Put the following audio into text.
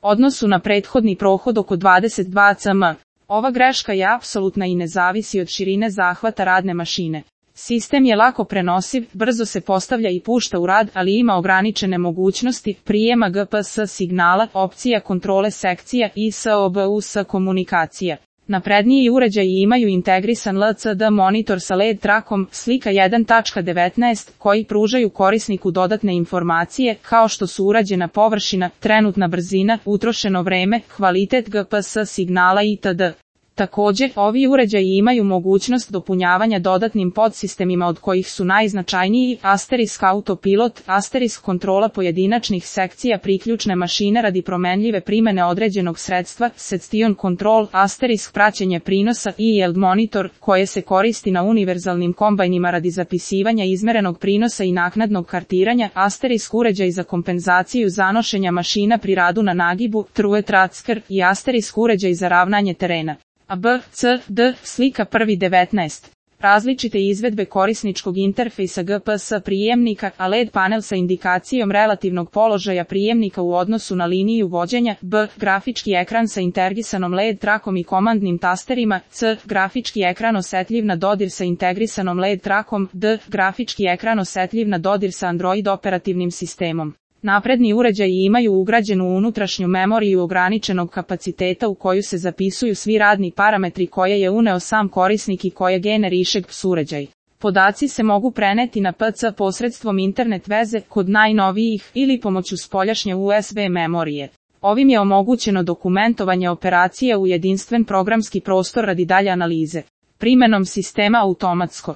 odnosu na prethodni prohod oko 22 cm. Ova greška je apsolutna i ne zavisi od širine zahvata radne mašine. Sistem je lako prenosiv, brzo se postavlja i pušta u rad, ali ima ograničene mogućnosti prijema GPS signala, opcija kontrole sekcija i SOBUS komunikacija. Napredniji uređaji imaju integrisan LCD monitor sa LED trakom, slika 1.19, koji pružaju korisniku dodatne informacije, kao što su urađena površina, trenutna brzina, utrošeno vreme, kvalitet GPS signala itd. Također, ovi uređaji imaju mogućnost dopunjavanja dodatnim podsistemima od kojih su najznačajniji Asterisk Autopilot, Asterisk kontrola pojedinačnih sekcija priključne mašine radi promenljive primene određenog sredstva, Session Control, Asterisk praćenje prinosa i Yield Monitor, koje se koristi na univerzalnim kombajnima radi zapisivanja izmerenog prinosa i naknadnog kartiranja, Asterisk uređaj za kompenzaciju zanošenja mašina pri radu na nagibu, True Tracker i Asterisk uređaj za ravnanje terena. A B, C, D, slika 1.19. Različite izvedbe korisničkog interfejsa GPS prijemnika, a LED panel sa indikacijom relativnog položaja prijemnika u odnosu na liniju vođenja, B, grafički ekran sa integrisanom LED trakom i komandnim tasterima, C, grafički ekran osetljiv na dodir sa integrisanom LED trakom, D, grafički ekran osetljiv na dodir sa Android operativnim sistemom. Napredni uređaji imaju ugrađenu unutrašnju memoriju ograničenog kapaciteta u koju se zapisuju svi radni parametri koje je uneo sam korisnik i koje generiše GPS uređaj. Podaci se mogu preneti na PC posredstvom internet veze kod najnovijih ili pomoću spoljašnje USB memorije. Ovim je omogućeno dokumentovanje operacije u jedinstven programski prostor radi dalje analize. Primenom sistema automatsko